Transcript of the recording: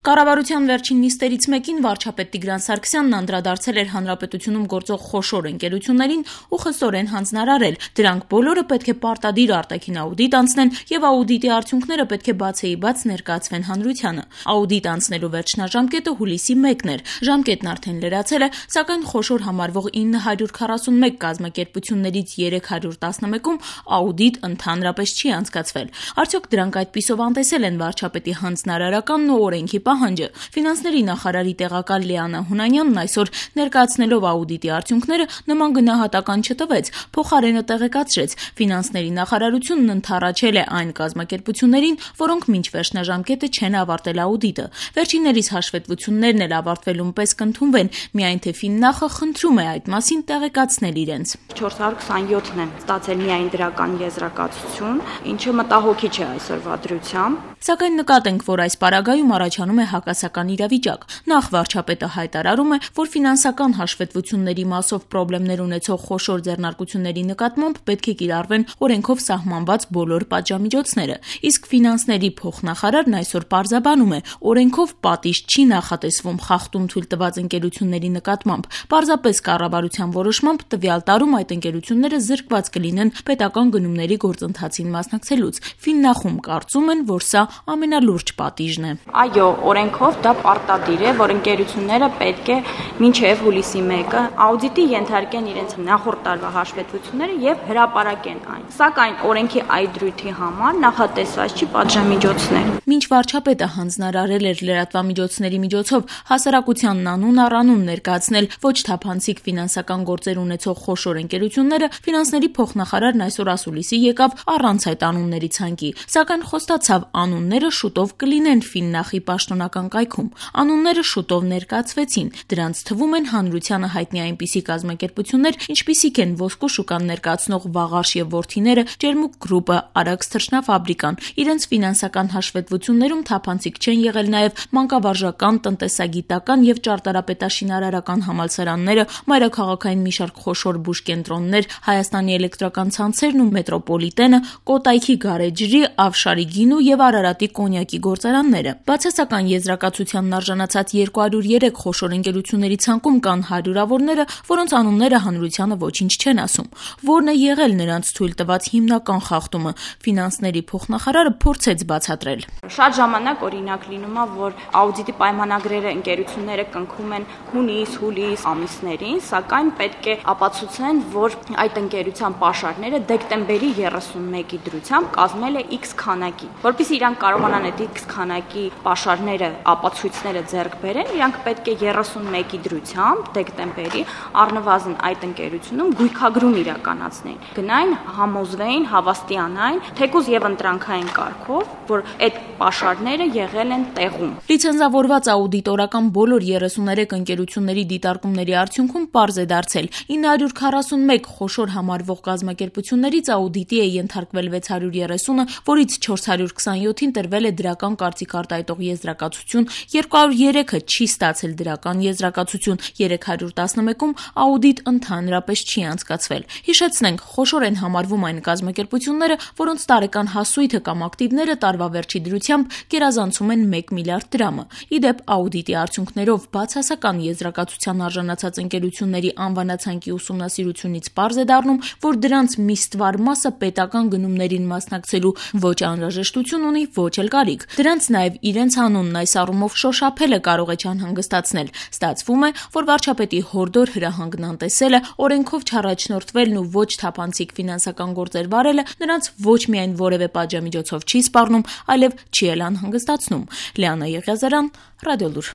Կառավարության վերջին նիստերից մեկին վարչապետ Տիգրան Սարգսյանն անդրադարձել էր հանրապետությունում գործող խոշոր ընկերություններին ու խստորեն հանձնարարել. դրանք բոլորը պետք է պարտադիր արտաքին աուդիտ անցնեն եւ աուդիտի արդյունքները պետք է բացեիբաց ներկայացվեն հանրությանը։ Աուդիտ անցնելու վերջնաժամկետը հուլիսի 1-ն էր։ Ժամկետն արդեն լրացել է, սակայն խոշոր համարվող 941 կազմակերպություններից 311-ում աուդիտ ընդհանրապես չի անցկացվել։ Արդյոք դրանք այդպիսով անտեսել են վարչապետի հանձնարարականն ու օրենքի պահանջը։ Ֆինանսների նախարարի տեղակալ Լիանա Հունանյանն այսօր ներկայացնելով աուդիտի արդյունքները նման գնահատական չտվեց, փոխարենը տեղեկացրեց. ֆինանսների նախարարությունն ընդառաջել է այն կազմակերպություններին, որոնք մինչ վերջնաժամկետը չեն ավարտել աուդիտը։ Վերջիններիս հաշվետվություններն էլ ավարտվելուն պես կընդունվեն, միայն թե Ֆիննախը խնդրում է այդ մասին տեղեկացնել իրենց։ 427-ն են ստացել միայն դրական եզրակացություն, ինչը մտահոգիչ է այսօրվա դրությամբ։ Սակայն նկատենք, որ այս պարագայում առաջանում է հակասական իրավիճակ։ Նախ վարչապետը հայտարարում է, որ ֆինանսական հաշվետվությունների մասով պրոբլեմներ ունեցող խոշոր ձեռնարկությունների նկատմամբ պետք է կիրառվեն օրենքով սահմանված բոլոր պատժամիջոցները, իսկ ֆինանսների փոխնախարարն այսօր պարզաբանում է, օրենքով պատիժ չի նախատեսվում խախտում թույլ տված ընկերությունների նկատմամբ։ Պարզապես կառավարության որոշմամբ տվյալ տարում այդ ընկերությունները զրկված կլինեն պետական գնումների գործընթացին մասնակցելուց։ Ֆիննախում կարծում են, որ սա ամենալուրջ պատիժն է։ Այո, օրենքով դա պարտադիր է, որ ընկերությունները պետք է մինչև հուլիսի 1-ը աուդիտի ենթարկեն իրենց նախորդ տարվա հաշվետվությունները եւ հրապարակեն այն։ Սակայն օրենքի այդ դրույթի համար նախատեսված չի պատժամիջոցներ։ Մինչ վարչապետը հանձնարարել էր լրատվամիջոցների միջոցով հասարակությանն անուն առանուն ներկայացնել ոչ թափանցիկ ֆինանսական գործեր ունեցող խոշոր ընկերությունները, ֆինանսների փոխնախարարն այսօր ասուլիսի եկավ առանց այդ անունների ցանկի, սակայն խոստացավ անունները շուտով կլինեն Ֆիննախի պաշտոնական կայքում։ Անունները շուտով ներկայացվեցին։ Դրանց թվում են հանրությանը հայտնի այնպիսի կազմակերպություններ, ինչպիսիք են Ոսկու շուկան ներկայացնող Վաղարշ եւ որդիները, Ջերմուկ գրուպը, Արաքս թռչնաֆաբրիկան։ Իրենց ֆինանսական հաշվետվություններում թափանցիկ չեն եղել նաեւ մանկավարժական, տնտեսագիտական եւ ճարտարապետաշինարարական համալսարանները, մայրաքաղաքային մի շարք խոշոր բուժկենտրոններ, Հայաստանի էլեկտրական ցանցերն ու մետրոպոլիտենը, Կոտայքի գարեջրի, Ավշարի գինու եւ Արարատի կոնյակի գործարանները։ Բացասական եզրակացությանն արժանացած 203 խոշոր ընկերությունների ցանկում կան հարյուրավորները, որոնց անունները հանրությանը ոչինչ չեն ասում։ Որն է եղել նրանց թույլ տված հիմնական խախտումը, ֆինանսների փոխնախարարը փորձեց բացատրել։ Շատ ժամանակ օրինակ լինում է, որ աուդիտի պայմանագրերը ընկերությունները կնքում են հունիս-հուլիս ամիսներին, սակայն պետք է ապացուցեն, որ այդ ընկերության պաշարները դեկտեմբերի 31-ի դրությամբ կազմել է X քանակի։ Որպեսզի իրանք կարողանան այդ X քանակի պաշարները, ապացույցները ձեռք բերեն, իրանք պետք է 31-ի դրությամբ դեկտեմբերի առնվազն այդ ընկերությունում գույքագրում իրականացնեն։ Գնային, համոզվեին, հավաստիանային, թեկուզ եւ ընտրանքային կարգով, որ այդ պաշարները եղել են տեղում։ Լիցենզավորված աուդիտորական բոլոր 33 ընկերությունների դիտարկումների արդյունքում պարզ է դարձել 941 խոշոր համարվող կազմակերպություններից աուդիտի է ենթարկվել 630-ը, որից 427-ին տրվել է դրական կարծիք արտահայտող եզրակացություն, 203-ը չի ստացել դրական եզրակացություն, 311-ում աուդիտ ընդհանրապես չի անցկացվել։ Հիշեցնենք, խոշոր են համարվում այն կազմակերպությունները, որոնց տարեկան հասույթը կամ ակտիվները տարվա վերջի դրությամբ գերազանցում են 1 միլիարդ դրամը։ Իդեպ աուդիտի արդյունքներով բացասական եզրակացության արժանացած ընկերությունների անվանացանկի ուսումնասիրությունից պարզ է դառնում, որ դրանց մի ստվար մասը պետական գնումներին մասնակցելու ոչ անհրաժեշտություն ունի, ոչ էլ կարիք։ Դրանց նաև իրենց անունն այս առումով շոշափելը կարող է չանհանգստացնել։ Ստացվում է, որ վարչապետի հորդոր հրահանգն անտեսելը, օրենքով չառաջնորդվելն ու ոչ թափանցիկ ֆինանսական գործեր վարելը նրանց ոչ միայն որևէ պատժամիջոցով չի սպառնում, այլև չի էլ անհանգստացնում։ Լիանա Եղիազարյան, Ռադիոլուր։